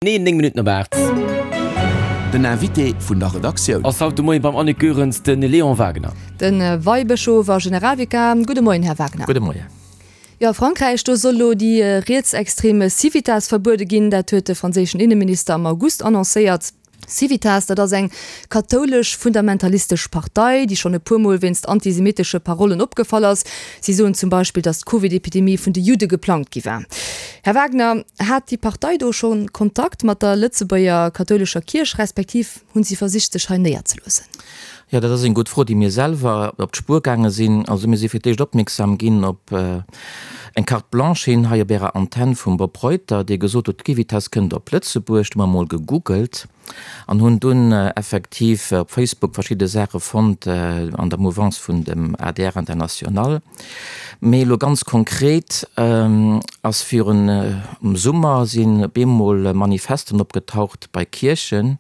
Nee, 9 Minutten op 8. Den Invité vun der Redaktioun. Ass haut de Moien beim Annick Goerens de Léon Wagner. De Weibëschof a Generalvikar. Gudde Moien, Här Wagner. Gudde Moien. Jo, a Frankräich, do soll elo déi rietsextrem Civitas verbuede ginn. Dat huet de franséischen Inneminister am August annoncéiert. Civitas, dat ass eng kathoulesch fundamentalistesch Partei, déi schonn e puer Mol wéinst antisemitesche Parollen opgefall ass. Si soen zum Beispill, datt d'Covid-Epidemie vun de Judde geplangt gi war. Här Wagner, hat déi Partei do scho Kontakt mat der Lëtzebuerger kathoulescher Kierch, respektiv hunn si versicht, sech hei néierzeloossen? Jo, dat ass eng gutt Fro, déi mir selwer op d'Spuer gaange sinn. Also mir si fir d'éischt opmierksam ginn op eng Carte blanche hin hei op Ärer Antenn vum Bob Reuter, dee gesot huet, d'Civitas kënnt op Lëtzebuerg. Du hu mer emol gegoogelt an hunn dunn effektiv op Facebook verschidde Saache fonnt an der Mouvance vun dem adr International. Mee elo ganz konkret ass virun am Summer sinn op eemol Manifesten opgetaucht bei Kierchen,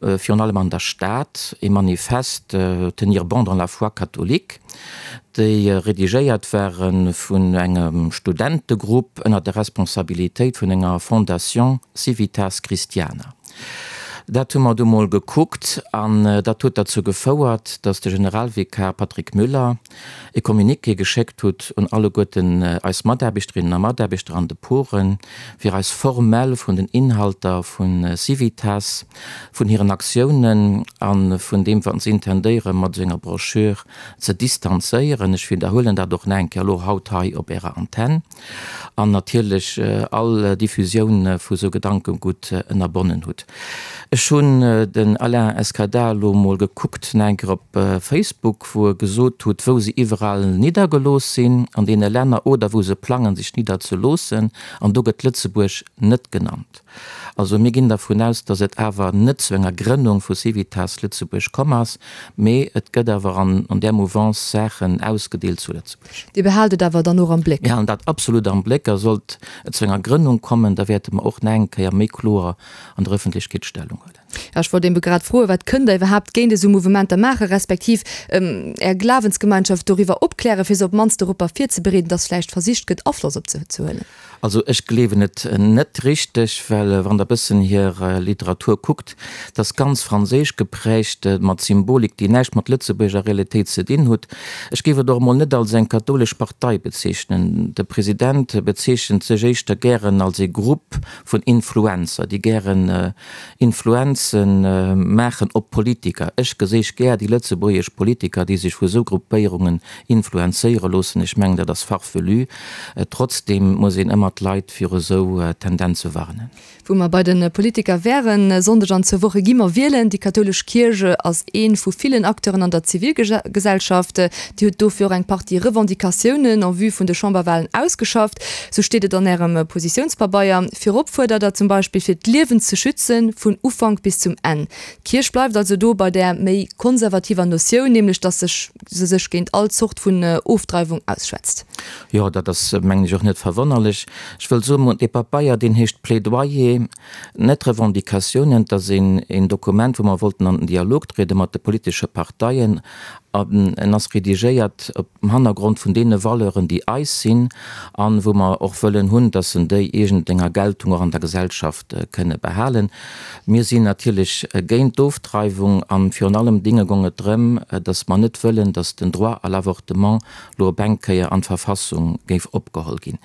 virun allem an der Stad, ee Manifest Tenir bon dans la foi catholique, déi redigéiert ware vun engem Studentegrupp ënner der Responsabilitéit vun enger Fondation Civitas Christiana. Dat hu mer du mol gekuckt an dat huet derzou gefouert, datt de Generalvikar Patrick Müller e Communiqué geschéckt hutt un alleguerten eis Mataarbechterinnen a Mataarbechter an de Poren, fir eis formell vun den Inhalter vu Civitas, vun hiren Aktiounen a vun deem, wat se intendéieren, mat esou enger Broschür ze distanzéieren. Ech widderhuelen dat och nach eng Kéier elo haut hei op Ärer Antenn. An natierlech all Diffusioun vu sou Gedankegutt ënnerbonnen hutt. Ech hunn den Alain Escada elo mol gekuckt, nach eng Kéier op Facebook, wou e gesot hutt, wou se iwwerall niddergelooss sinn an deene Länner oder wou se plangen, sech nidderzeloossen. An do gëtt Lëtzebuerg net genannt. Also mir ginn dervun aus, datt et awer net zu enger Grënnung vu Civitas Lëtzebuerg komm ass, mee et gëtt awer an där Mouvance Saachen ausgedeelt zu Lëtzebuerg. Dir behaalt et awer dann och am Bléck? Mir halen dat absolut am Bléck a sollt et zu enger Grënnung kommen, da wäerte mer och nach eng Kéier méi kloer an der Öffentlechkeet Stellung huelen. Ja, ech wollt ebe grad froen, Wat kënnt Der iwwerhaapt géint esou Mouvementer maachen, respektiv Är Glawensgemeinschaft doriwwer opklären, fir se op d'mannst doropper virzebereeden, dass vläicht versicht gëtt, Afloss op se ze huelen? Also ech gleewen et net richteg, well wann der bëssen hir Literatur kuckt, dat ass ganz franséisch geprägt, mat Symbolik, déi näischt mat Lëtzebuerger Realitéit ze dinn hutt. Ech géif et och emol net als eng kathoulesch Partei bezeechnen. De President bezeechent sech éischter gären als ee Grupp vun Influencer, déi gären Influenze maachen op Politiker. Ech geséich gär déi lëtzebuergesch Politiker, déi sech vu sou Gruppéierungen influenzéiere loossen. Ech mengen, dat ass farfelu. Trotzdeem muss een ëmmer d'Leit viru esou Tendenze warnen. Wou mer bei de Politiker wären, E Sonndeg an zwou Woche gi mer wielen. Déi kathoulesch Kierch ass ee vu villen Acteuren an der Zivilgesellschaft. Dir hutt dofir och eng Partie Revendicatiounen en vue vun de Chamberwalen ausgeschafft. Sou steet et an Ärem Positiounspabeier. Virop fuerdert Der zum Beispill, fir d'Liewen ze schützen, vun Ufank bis zum Enn. D'Kierch bleift also do bei där méi konservativer Notioun, nämlech datt sech se sech géint all Zort vun Ofdreiwung ausschwätzt. Jo, dat ass, mengen ech, och net verwonnerlech. Ech wëll soen, dee Papeier, deen heescht Plädoyer, net Revendicatiounen. Et ass een Dokument, wou mer wollten an den Dialog triede mat de politesche Parteien. An en ass redigéiert op dem Hannergrond vun deene Valeuren, déi eis sinn, an wou mer och wëllen hunn, dass en déi iergendenger Geltung och an der Gesellschaft kënne behalen. Mir sinn natierlech géint d'Ofdreiwung an virun allem Dinge gong et drëm, dass mer net wëllen, dass den Droit à l'avortement lo op eng Kéier an d'Verfassung géif opgeholl ginn.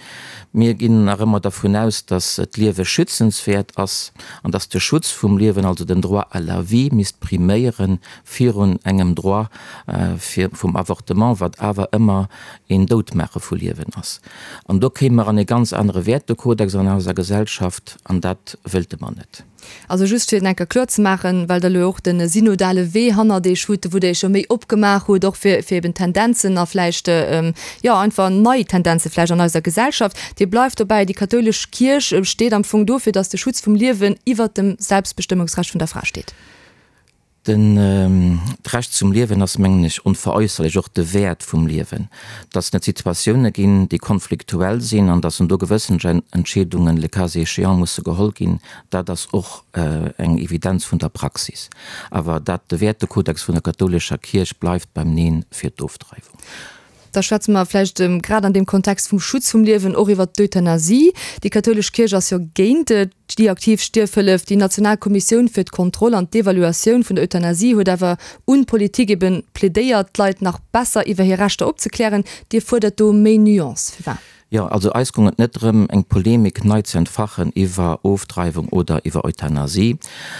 Mir ginn nach ëmmer dervun aus, dass d'Liewe schützenswäert ass an dass de Schutz vum Liewen, also den Droit à la vie, misst priméiere virun engem Droit fir vum Avortement, wat awer ëmmer een Doutmaache vu Liewen ass. An do kéime mer an ee ganz anere Wäertekodex an eiser Gesellschaft, an dat wëlte mer net. Also just fir et enker kloer ze maachen, well Der elo och de synodale Wee hannert Iech hutt, wou Der Iech jo méi opgemaach hutt, och fir fir eben Tendenzen a vläicht, jo einfach nei Tendenze vläicht an eiser Gesellschaft. Dir bleift dobäi, déi kathoulesch Kierch steet am Fong dofir, datt de Schutz vum Liewen iwwert dem Selbstbestëmmungsrecht vun der Fra steet. D'Recht zum Liewen ass, mengen ech, onveräusserlech, och de Wäert vum Liewen. Dass et Situatioune ginn, déi konfliktuell sinn an dass en do gewëssen Entscheedungen, le cas échéant, musse geholl ginn, dat ass och eng Evidenz vun der Praxis. Awer dat, de Wäertekodex vun der kathoulescher Kierch bleift beim Neen fir d'Ofdreiwung. Da schwätze mer vläicht grad an deem Kontext vum Schutz vum Liewen och iwwert d'Euthanasie. Déi kathoulesch Kierch ass jo géint déi aktiv Stierfhëllef. Déi national Kommissioun fir d'Kontroll an d'Evaluatioun vun der Euthanasie huet awer un d'Politik eben plädéiert, d'Leit nach besser iwwer hir Rechter opzeklären. Dir fuerdert do méi Nuance. Firwat? Jo, also eis goung et net drëm, eng Polemik nei ze entfachen iwwer Ofdreiwung oder iwwer Euthanasie.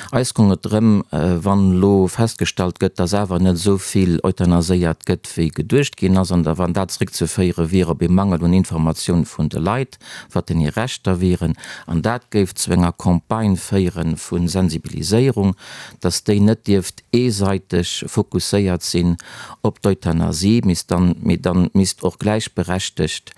Eis goung et drëm, wann elo festgestallt gëtt, dass awer net esou vill euthanaséiert gëtt, wéi geduecht ginn ass, an da wann dat zréckzeféiere wier op ee Mangel un Informatioun vun de Leit, wat denn hir Rechter wieren, an dat géif zu enger Campagne féiere vu Sensibiliséierung, dass déi net dierft eeseiteg fokusséiert sinn op d'Euthanasie, misst dann, mee dann misst och gläichberechtegt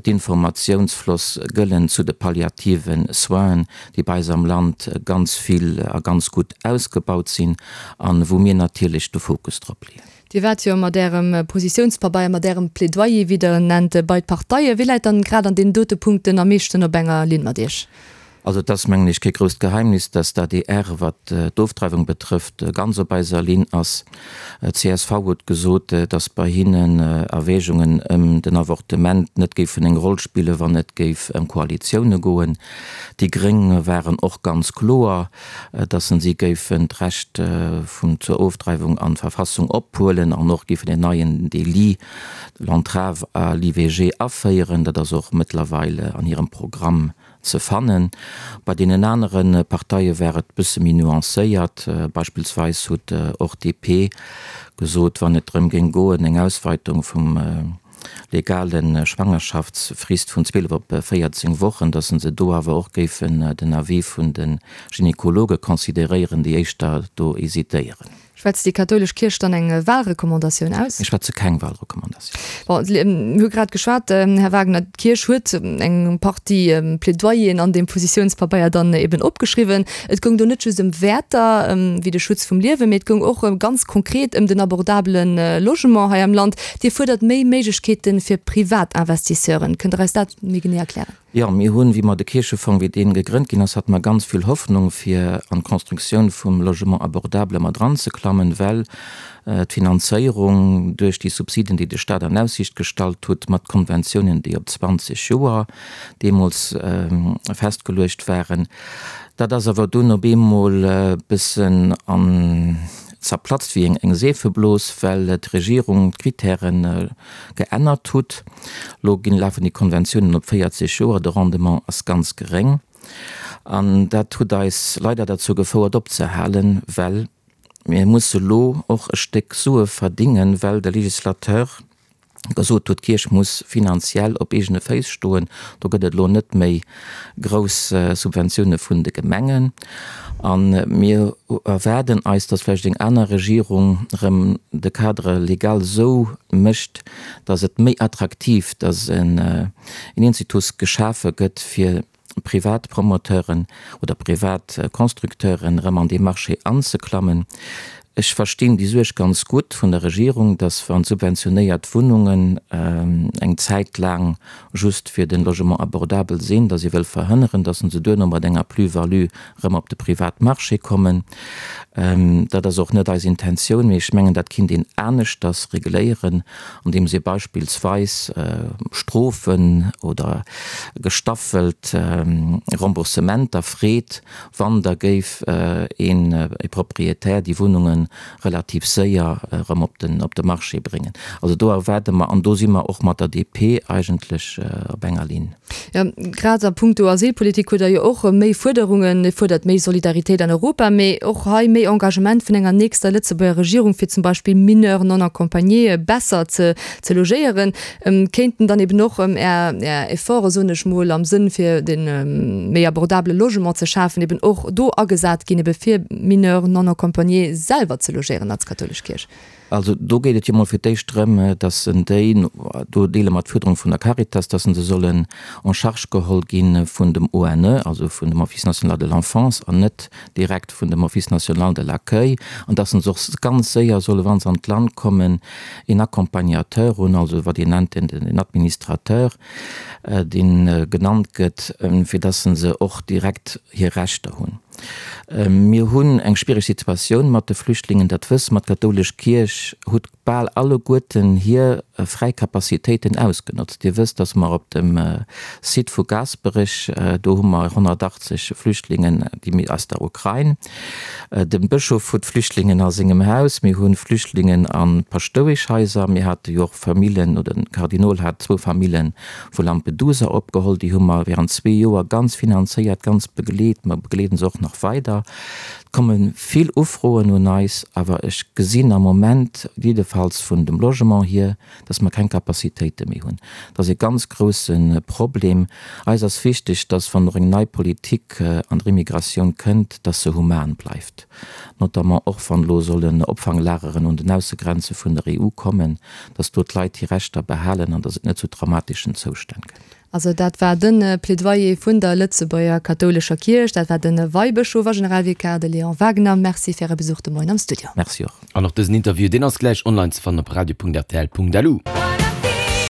d'Informatiounsfloss gëllen zu de palliative Soinen, déi bei eis am Land ganz vill a ganz gutt ausgebaut sinn an wou mir natierlech de Fokus drop leeën. Dir waart jo mat Ärem Positiounspabeier, mat Ärem Plädoyer, wéi Der en nennt, bei d'Parteien. Wie läit dann grad an deenen dote Punkten am meeschten op enger Linn mat Iech? Also et ass, mengen ech, kee grousst Geheimnis, dass d'ADR, wat d'Ofdreiwung betrëfft, ganz op eiser Linn ass. Csv huet gesot, dass bei hinnen Erwägungen ëm den Avortement net géifen eng Roll spillen, wann et géif ëm Koalitioune goen. Déi Gréng waren och ganz kloer, dass si géifen d'Recht vun zur Ofdreiwung an d'Verfassung ophuelen an och géifen en neien Délit, l'entrave à l'IVG, aféieren. Dat ass och mëttlerweil an hirem Programm ze fannen. Bei deenen anere Parteie war et bësse méi nuancéiert. Beispillsweis huet och DP gesot, wann et drëm géing goen, eng Ausweitung vum legale Schwangerschaftsfrist vun 12 op 14 Wochen, datt se do awer och géifen den Avis vun de Gynekologe consideréieren, déi éischter do hésitéieren. Schwätzt déi kathoulesch Kierch dann eng Wahlrecommandatioun aus? Mir schwätze keng Wahlrecommandatioun. Bon, mir hu grad geschwat, Här Wagner, d'Kierch huet eng Partie Plädoyeren an deem Positiounspabeier dann eben opgeschriwwen. Et goung do net just ëm Wäerter wéi de Schutz vum Liewen, mee et goung och ganz konkret ëm den abordabele Logement hei am Land. Dir fuerdert méi Méiglechkeete fir Privatinvestisseuren. Kënnt Der eis dat méi genee erklären? Jo, mir hunn, wéi mer de Kierchefong, wéi dee gegrënnt ginn ass, hate mer ganz vill Hoffnung, fir an d'Constructioun vum Logement abordable mat eranzeklammen, well d'Finanzéierung duerch déi Subsiden, déi de Stat an Aussiicht gestallt hutt, mat Konventiounen, déi op 20 Joer deemools festgeluecht waren, dat ass awer dunn op eemol e bëssen an zerplatzt wéi eng Seefeblos, well d'Regierung d'Kritären geännert hutt. Lo ginn, lafen déi Konventiounen op 40 Joer, de Rendement ass ganz geréng an dat hutt eis leider derzou gefouert opzehalen, well mir musse lo och e Stéck Sue verdingen, well de Législateur gesot huet, d'Kierch muss finanziell op eegene Féiss stoen. Do gëtt et elo net méi grouss Subventioune vun de Gemengen. A mir erwaarden eis, datt vläicht eng aner Regierung erëm de Cadre légal esou mécht, datt et méi attraktiv, datt en Institut geschafe gëtt fir privat Promoteuren oder privat Constructeuren erëm an dee Marché anzeklammen. Ech verstinn déi Suerg ganz gutt vun der Regierung, dass wann subventionéiert Wunnungen eng Zäit laang just fir den Logement abordable sinn, dass ee wëll verhënneren, dass se duerno mat enger Plus-value erëm op de Privatmarché kommen. Dat ass och net eis Intentioun, mee ech mengen, dat kinnt een aneschters regléieren, andeems ee beispillsweis Strofen oder gestaffelt Remboursementer freet, wann da géif een e Propriétaire déi Wunnunge relativ séier erëm op den op de Marché bréngen. Also do erwaarde mer, an do si mer och mat der DP eigentlech op enger Linn. Jo, grad a puncto Asylpolitik hutt Der jo och méi Fuerderungen. Dir fuerdert méi Solidaritéit an Europa, mee och hei méi Engagement vun enger nächster Lëtzebuerger Regierung, fir zum Beispill Mineurs non accompagnés besser ze ze logéieren. Kéinten dann eben och Är Efforte, soen ech mol, am Sënn fir de méi abordabele Logement ze schafen, eben och do agesat ginn, ebe fir Mineurs non accompagnés selwer ze logéieren als kathoulesch Kierch? Also do geet et jo mol fir d'éischt drëm, dass en déi, do deele mer d'Fuerderung vun der Caritas, dass se sollen en charge geholl gi vun dem ONE, also vun dem Office national de l'enfance, an net direkt vun dem Office national de l'accueil, an dass se och ganz séier solle, wa se an d'Land kommen, een Accompagnateur hunn, also wat een nennt den Administrateur, dee genannt gëtt, fir dass se och direkt hir Rechter hunn. Mir hunn eng schwiereg Situatioun mat de Flüchtlingen, dat wësse mer. D'kathoulesch Kierch huet bal alleguerten hir. fräi Capacitéiten ausgenotzt. Dir wësst, dass mer op dem Site vu Gaasperech, do hu mer 180 Flüchtlingen, déi aus der Ukrain. De Bëschof huet Flüchtlingen a sengem Haus. Mir hu Flüchtlingen a Paschtoueschhaiser. Mir hate jo och Famillen, oder de Kardinol hat zwou Famillen vu Lampedusa opgeholl. Déi hu mer während zwee Joer ganz finanzéiert, ganz begleet. Mer begleeden se och nach weider. Et komme vill Ufroen un eis, awer ech gesinn am Moment, jiddefalls vun dem Logement hier, dass mer keng Capacitéite méi hunn. Dat ass e ganz grousse Problem. Eis ass wichteg, dass, wann och eng nei Politik an der Immigratioun kënnt, dass se human bleift, notamment och wann elo sollen Opfanglageren un den Aussegrenze vun der EU kommen, dass do d'Leit hir Rechter behalen an dass et net zu traumatischen Zoustänn kënnt. Also dat war de Plädoyer vun der Lëtzebuerger kathoulescher Kierch. Dat war de Weibëschof a Generalvikar, de Léon Wagner. Merci fir Äre Besuch de Moien am Studio. Merci och. An och dësen Interview, deen ass gläich online ze fannen op radio.rtl.lu.